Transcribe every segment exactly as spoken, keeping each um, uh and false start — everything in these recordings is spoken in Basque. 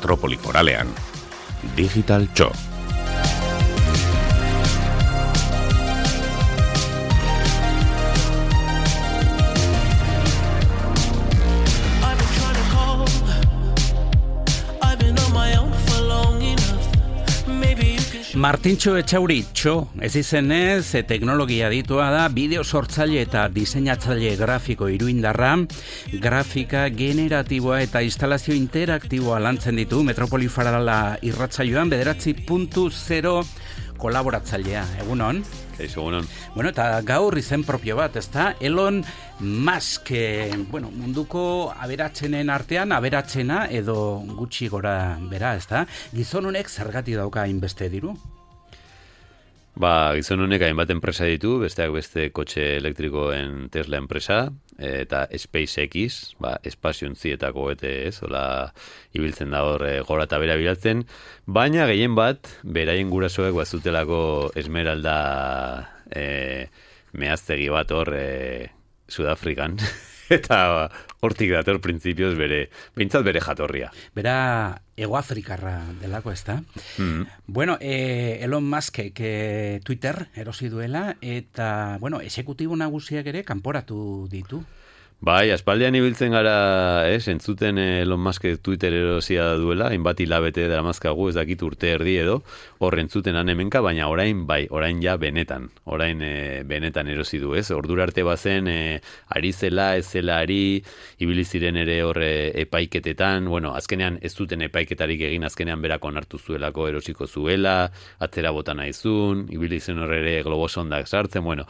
metropoli foralean. Digital Txo. Martintxo Etxauri Txo, ez izenez, teknologia ditua da, bideo sortzaile eta diseinatzaile grafiko iruindarra, grafika generatiboa eta instalazio interaktiboa lantzen ditu Metropoli Farala irratsaioan bederatzi puntu zero kolaboratzailea. Egunon? Eizu, egunon. Bueno, eta gaur izen propio bat, ezta? Elon Musk, eh, bueno, munduko aberatsenen artean, aberatsena edo gutxi gora bera, ezta? Gizon honek zergatik dauka hainbeste diru? Ba, gizon honek hainbat enpresa ditu, besteak beste kotxe elektrikoen Tesla enpresa, eta SpaceX, ba, espaziontzietako ete ez, hola ibiltzen da hor e, gora eta bera bilatzen, baina gehien bat, beraien gurasoek bazutelako Esmeralda e, mehaztegi bat hor e, Sudafrikan, eta hortik dator printzipioz bere, behintzat bere jatorria. Bera Egoafrikarra delako, ez da? Mm-hmm. Bueno, eh, Elon Muskek eh, Twitter erosi duela, eta, bueno, exekutibo nagusiak ere kanporatu ditu. Bai, aspaldean ibiltzen gara, ez, entzuten Elon Musk Twitter erosia duela, hainbat hilabete dara mazkagu, ez dakit urte erdi edo, hor entzuten hemenka, baina orain, bai, orain ja benetan, orain e, benetan erosi du, ez, ordura arte bazen, e, ari zela, ez zela ari, ibili ziren ere hor e, epaiketetan, bueno, azkenean ez duten epaiketarik egin, azkenean berak onartu zuelako erosiko zuela, atzera bota nahizun, ibili zen hor ere globosondak sartzen, bueno,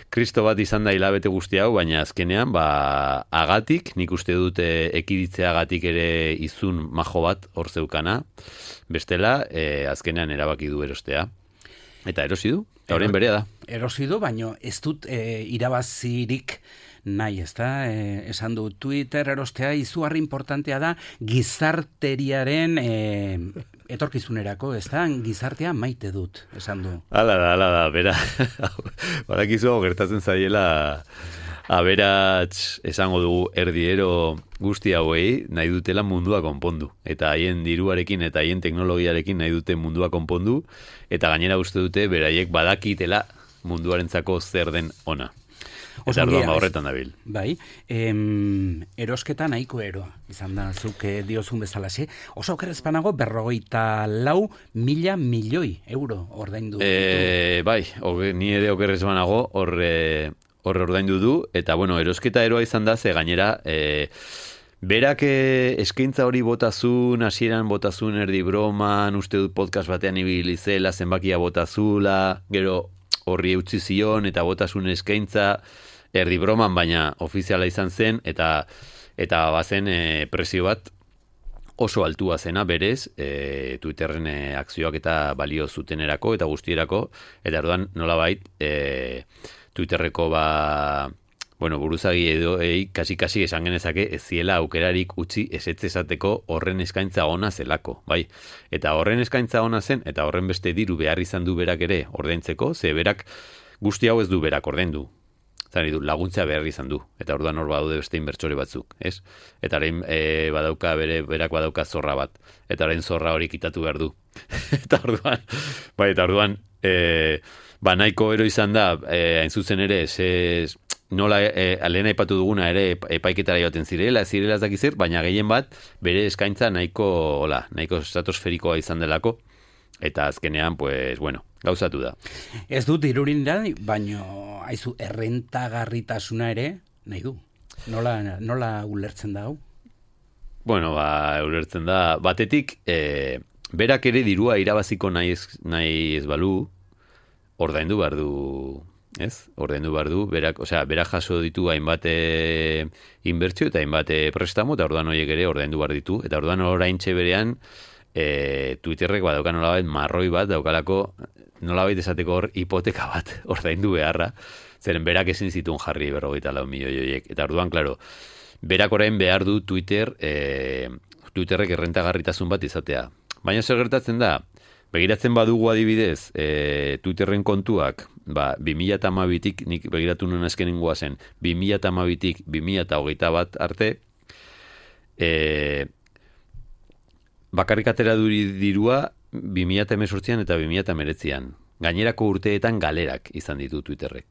Kristo bat izan da hilabete guzti hau, baina azkenean, ba, agatik, nik uste dute ekiditzeagatik ere izun majo bat hor zeukana, bestela, e, azkenean erabaki du erostea. Eta erosi du, eta horren berea da. Erosi du, baina ez dut e, irabazirik nahi, ez da? E, esan du Twitter erostea izugarri importantea da gizarteriaren e, etorkizunerako, ez da? Gizartea maite dut, esan du. Hala da, hala da, bera. Barakizu hau gertatzen zaiela aberats esango dugu erdiero guzti hauei nahi dutela mundua konpondu. Eta haien diruarekin eta haien teknologiarekin nahi dute mundua konpondu. Eta gainera uste dute beraiek badakitela munduarentzako zer den ona. Eta arduan horretan dabil. Bai, em, erosketa nahiko eroa, izan da, zuk diozun bezalaxe. Oso okerrezpanago berrogeita lau mila milioi euro ordaindu. E, bai, oge, ni ere okerrezpanago horre horre ordaindu du, eta bueno, erosketa eroa izan da, ze gainera, e, berak eskaintza hori botazun, hasieran botazun erdi broman, uste dut podcast batean ibili zela, zenbakia botazula, gero horri eutzi zion, eta botasun eskaintza, erdi broman, baina ofiziala izan zen, eta eta bazen e, presio bat oso altua zena berez, e, Twitterren e, akzioak eta balio zutenerako eta guztierako, eta orduan nolabait e, Twitterreko ba, bueno, buruzagi edo ei, kasi-kasi esan genezake ez ziela aukerarik utzi ezetz esateko horren eskaintza ona zelako, bai. Eta horren eskaintza ona zen, eta horren beste diru behar izan du berak ere ordaintzeko, ze berak guzti hau ez du berak ordaindu. Zari du, laguntzea behar izan du, eta orduan hor badaude beste inbertsore batzuk, ez? Eta orain e, badauka bere, berak badauka zorra bat, eta orain zorra hori kitatu behar du. Eta orduan, bai, eta orduan, e, ba nahiko ero izan da, e, hain zuzen ere, ze, nola, e, lehen aipatu duguna ere epaiketara joaten zirela, zirela ez dakizir, baina gehien bat, bere eskaintza nahiko, hola, nahiko estratosferikoa izan delako, eta azkenean, pues, bueno, gauzatu da. Ez dut irurin da, baino haizu errentagarritasuna ere nahi du. Nola, nola ulertzen da hau? Bueno, ba, ulertzen da. Batetik, e, berak ere dirua irabaziko nahi ez, nahi ez balu, ordaindu behar du, ez? Ordaindu behar du, berak, osea, berak jaso ditu hainbat inbertsio eta hainbat prestamo, eta orduan horiek ere ordaindu behar ditu, eta orduan oraintxe berean, e, Twitterrek badauka nolabait marroi bat, daukalako nolabait esateko hor hipoteka bat ordaindu beharra, zeren berak ezin zituen jarri berrogeita lau milioi horiek. Eta orduan, klaro, berak orain behar du Twitter, e, Twitterrek errentagarritasun bat izatea. Baina zer gertatzen da, begiratzen badugu adibidez, e, Twitterren kontuak, ba, bi mila hamabitik, nik begiratu nuen azkenengoa zen, bi mila hamabitik bi mila hogeita bat arte, e, bakarrik atera duri dirua bi mila hemezortzian eta bi mila hemeretzian. Gainerako urteetan galerak izan ditu Twitterrek.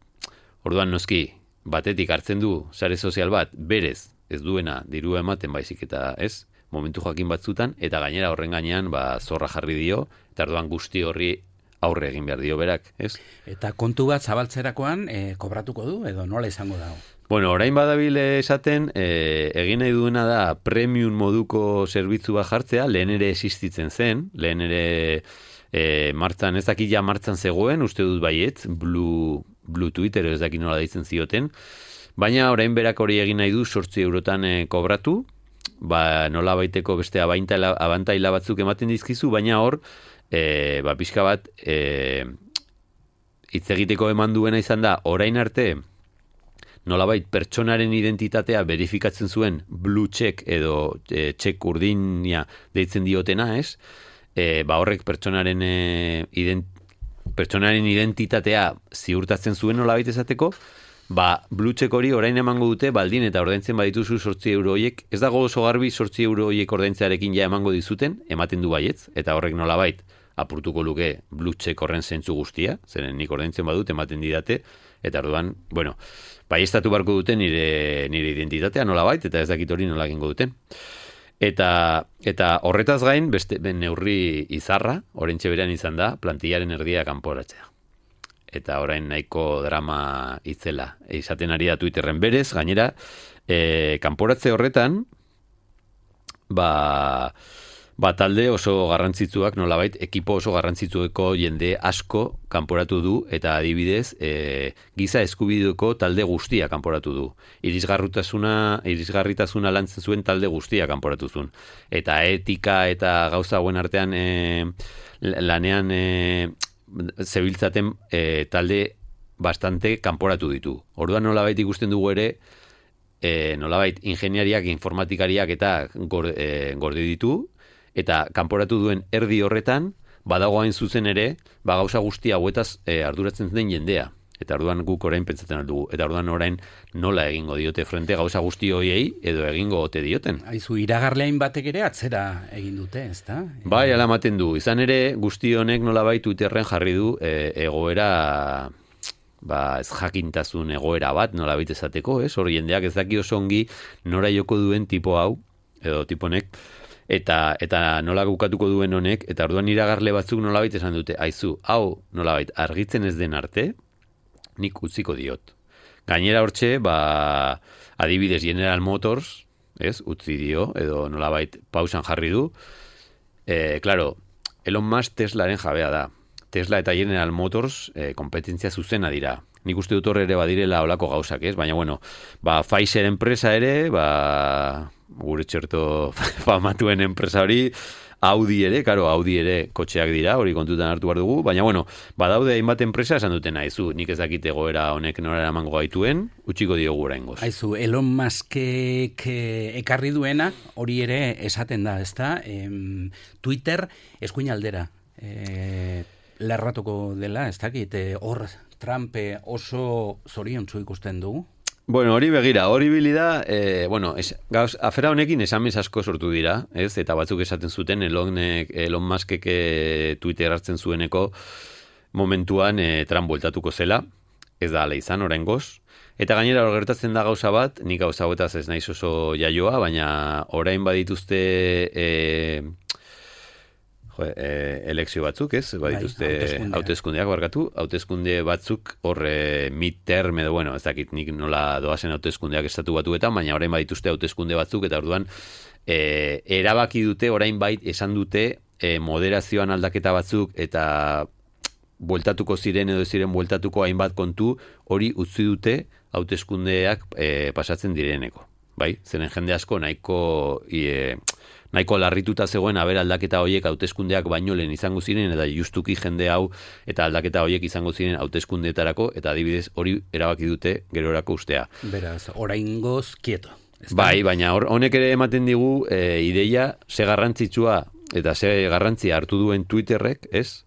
Orduan noski, batetik hartzen du sare sozial bat, berez, ez duena dirua ematen baizik eta ez, momentu jakin batzutan, eta gainera horren gainean ba, zorra jarri dio, eta orduan guzti horri aurre egin behar dio berak, ez? Eta kontu bat zabaltzerakoan e, kobratuko du, edo nola izango dago? Bueno, orain badabil esaten, e, egin nahi duena da premium moduko zerbitzu bat jartzea, lehen ere existitzen zen, lehen ere e, martzan, ez dakit ja martzan zegoen, uste dut baiet, Blue, Blue Twitter, ez dakit nola deitzen zioten, baina orain berak hori egin nahi du sortzi eurotan e, kobratu, ba, nola baiteko beste abantaila, abantaila batzuk ematen dizkizu, baina hor, e, ba, pixka bat, e, hitz egiteko eman duena izan da, orain arte, nolabait pertsonaren identitatea verifikatzen zuen blue check edo e, check urdina deitzen diotena, ez? E, ba horrek pertsonaren e, ident, pertsonaren identitatea ziurtatzen zuen nolabait esateko, ba blue check hori orain emango dute baldin eta ordaintzen badituzu zortzi euro horiek, ez dago oso garbi zortzi euro horiek ordaintzearekin ja emango dizuten, ematen du baietz, eta horrek nolabait apurtuko luke blue check horren zentzu guztia, zeren nik ordaintzen badut ematen didate, eta orduan, bueno, baiestatu barko duten nire, nire identitatea nolabait, eta ez dakit hori nola egingo duten. Eta, eta horretaz gain, beste ben neurri izarra, oraintxe berean izan da, plantillaren erdia kanporatzea. Eta orain nahiko drama itzela. Izaten ari da Twitterren berez, gainera, e, kanporatze horretan, ba... Ba, talde oso garrantzitsuak, nolabait, ekipo oso garrantzitsueko jende asko kanporatu du, eta adibidez, e, giza eskubideko talde guztia kanporatu du. Irisgarritasuna, irisgarritasuna lantzen zuen talde guztia kanporatu zuen. Eta etika eta gauza hauen artean e, lanean e, zebiltzaten e, talde bastante kanporatu ditu. Orduan nolabait ikusten dugu ere, e, nolabait, ingeniariak, informatikariak eta gorde, e, gorde ditu, eta kanporatu duen erdi horretan, badago hain zuzen ere, ba gauza guztia hauetaz e, arduratzen den jendea. Eta orduan guk orain pentsatzen aldugu. Eta orduan orain nola egingo diote frente gauza guzti hoiei, edo egingo ote dioten. Aizu, iragarleain batek ere atzera egin dute, ezta? Bai, ala ematen du. Izan ere, guzti honek nolabait Twitterren jarri du e, egoera... ba, ez jakintasun egoera bat, nolabait esateko, ez? Hor jendeak ez daki oso ongi nora joko duen tipo hau, edo tiponek, Eta, eta nola gukatuko duen honek, eta orduan iragarle batzuk nolabait esan dute, aizu, hau nolabait argitzen ez den arte, nik utziko diot. Gainera hortxe, ba, adibidez General Motors, ez, utzi dio, edo nolabait pausan jarri du. E, claro, Elon Musk Teslaren jabea da. Tesla eta General Motors e, kompetentzia zuzena dira. Nik uste dut horre ere badirela olako gauzak, ez? Baina, bueno, ba, Pfizer enpresa ere, ba... gure txerto famatuen enpresa hori, Audi ere, karo, Audi ere kotxeak dira, hori kontutan hartu behar dugu, baina bueno, badaude hainbat enpresa esan duten aizu, nik ez dakite goera honek nora eramango gaituen, utxiko diogu oraingoz. Aizu, Elon Muskek ekarri duena, hori ere esaten da, ezta? Em, Twitter eskuin aldera e, lerratuko dela, ez dakit, hor Trump oso zoriontsu ikusten dugu. Bueno, hori begira, hori bilida, eh, bueno, es, gauz, afera honekin esamez asko sortu dira, ez? Eta batzuk esaten zuten, Elonek, Elon Muskek e, Twitter hartzen zueneko momentuan e, Trump bueltatuko zela, ez da ala izan, oraingoz. Eta gainera hor gertatzen da gauza bat, nik gauza hauetaz ez naiz oso jaioa, baina orain badituzte... E, Jo, e, elekzio batzuk, ez? Badituzte bai, hauteskundeak barkatu, hauteskunde batzuk hor e, midterm edo, bueno, ez dakit nik nola doazen hauteskundeak estatu batuetan, baina orain badituzte hauteskunde batzuk, eta orduan e, erabaki dute, orain bait esan dute e, moderazioan aldaketa batzuk, eta bueltatuko ziren edo ziren bueltatuko hainbat kontu, hori utzi dute hauteskundeak e, pasatzen direneko. Bai? Zeren jende asko nahiko... E, nahiko larrituta zegoen haber aldaketa horiek hauteskundeak baino lehen izango ziren, eta justuki jende hau eta aldaketa horiek izango ziren hauteskundeetarako, eta adibidez hori erabaki dute gerorako ustea. Beraz, oraingoz kieto. Bai, baina honek ere ematen digu e, ideia ze garrantzitsua eta ze garrantzia hartu duen Twitterrek, ez?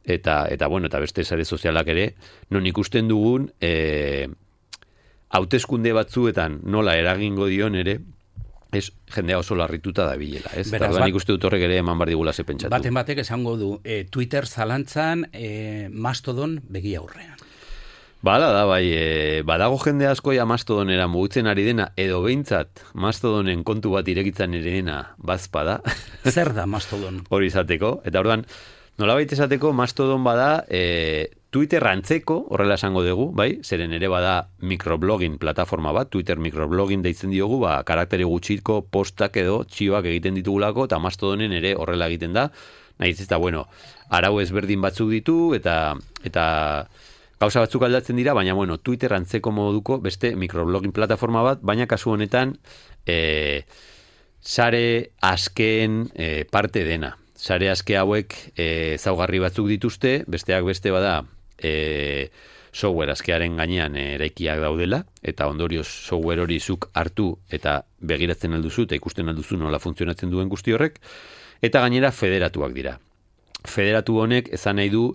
Eta, eta bueno, eta beste sare sozialak ere, non ikusten dugun e, hauteskunde batzuetan nola eragingo dion ere, ez, jendea oso larrituta da bilela, ez? Beraz, Eta bat- nik uste dut horrek ere eman bar digula ze pentsatu. Baten batek esango du, e, Twitter zalantzan, e, Mastodon begi aurrean. Bala da, bai, e, badago jende asko ja Mastodonera mugitzen ari dena, edo behintzat Mastodonen kontu bat irekitzen ari dena bazpada. Zer da Mastodon? Hori izateko, eta orduan, nolabait esateko Mastodon bada e, Twitter antzeko, horrela esango dugu, bai, zeren ere bada microblogging plataforma bat, Twitter microblogging deitzen diogu, ba, karakteri gutxiko postak edo txioak egiten ditugulako, eta Mastodonen ere horrela egiten da, nahiz eta, bueno, arau ezberdin batzuk ditu, eta eta gauza batzuk aldatzen dira, baina, bueno, Twitter antzeko moduko beste microblogging plataforma bat, baina kasu honetan, e, sare asken e, parte dena. Sare aske hauek e, zaugarri batzuk dituzte, besteak beste bada, e, software askearen gainean eraikiak daudela, eta ondorioz software hori zuk hartu eta begiratzen alduzu, eta ikusten alduzu nola funtzionatzen duen guzti horrek, eta gainera federatuak dira. Federatu honek ezan nahi du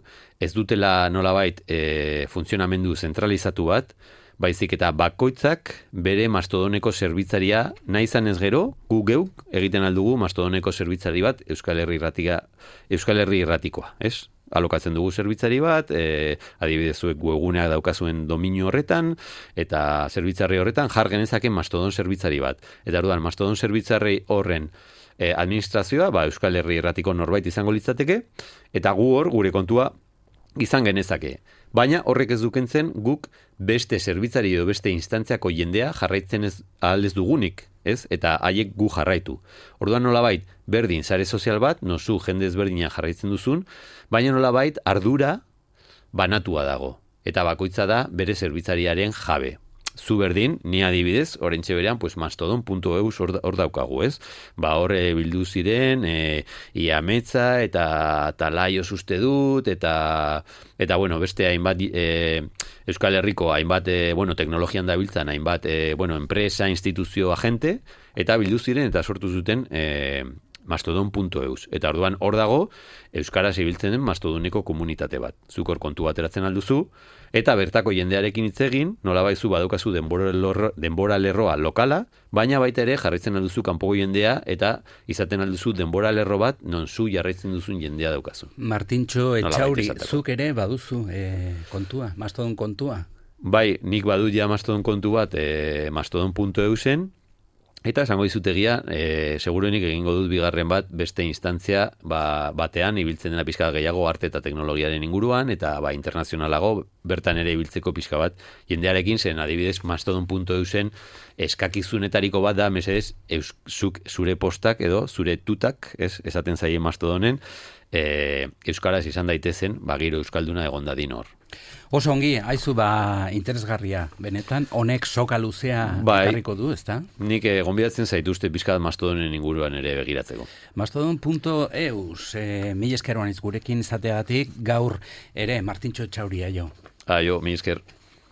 ez dutela nolabait e, funtzionamendu zentralizatu bat, baizik eta bakoitzak bere Mastodoneko zerbitzaria nahi izan ez gero, gu geuk egiten aldugu Mastodoneko zerbitzari bat Euskal Herri irratika, Euskal Herri irratikoa, ez? Alokatzen dugu zerbitzari bat, e, adibidez zuek webguneak daukazuen dominio horretan, eta zerbitzarri horretan jar genezake Mastodon zerbitzari bat. Eta orduan Mastodon zerbitzarri horren e, administrazioa, ba, Euskal Herri irratiko norbait izango litzateke, eta gu hor gure kontua izan genezake. Baina horrek ez dukentzen guk beste zerbitzari edo beste instantziako jendea jarraitzen ez ahal ez dugunik, ez? Eta haiek gu jarraitu. Orduan nolabait berdin sare sozial bat, nozu jende ezberdina jarraitzen duzun, baina nolabait ardura banatua dago. Eta bakoitza da bere zerbitzariaren jabe. Zu berdin, ni adibidez, orentxe berean, pues mastodon puntu e u hor, hor daukagu, ez? Ba, hor e, bildu ziren, e, Iametza eta Talaio uste dut, eta, eta bueno, beste hainbat, e, Euskal Herriko hainbat, e, bueno, teknologian dabiltzan, hainbat, e, bueno, enpresa, instituzio, agente, eta bildu ziren, eta sortu zuten, e, mastodon puntu e u. Eta orduan hor dago, Euskaraz ibiltzen den Mastodoneko komunitate bat. Zuk hor kontu bateratzen alduzu, eta bertako jendearekin hitz egin, nolabaizu badaukazu denbora, lerro, denbora lerroa lokala, baina baita ere jarraitzen alduzu kanpoko jendea, eta izaten alduzu denbora lerro bat, non zu jarraitzen duzun jendea daukazu. Martintxo Etxauri, zuk ere baduzu e, kontua, Mastodon kontua? Bai, nik badut ja Mastodon kontu bat, e, mastodon puntu e u zen, eta esango dizutegia, e, seguruenik egingo dut bigarren bat, beste instantzia ba, batean, ibiltzen dena pixka gehiago arte eta teknologiaren inguruan, eta ba, internazionalago bertan ere ibiltzeko pixka bat jendearekin, zen adibidez mastodon puntu e u zen eskakizunetariko bat da, mesedez, zuk zure postak edo zure tutak, ez, esaten zaien Mastodonen, e, euskaraz izan daitezen, ba, giro euskalduna egon dadin hor. Oso ongi, haizu ba interesgarria, benetan, honek soka luzea bai, ekarriko du, ezta? Nik eh, gonbidatzen zaituzte pizkat Mastodonen inguruan ere begiratzeko. Mastodon puntu e u, e, mil esker gurekin izateagatik gaur ere Martintxo Etxauri aio. Aio, mil esker.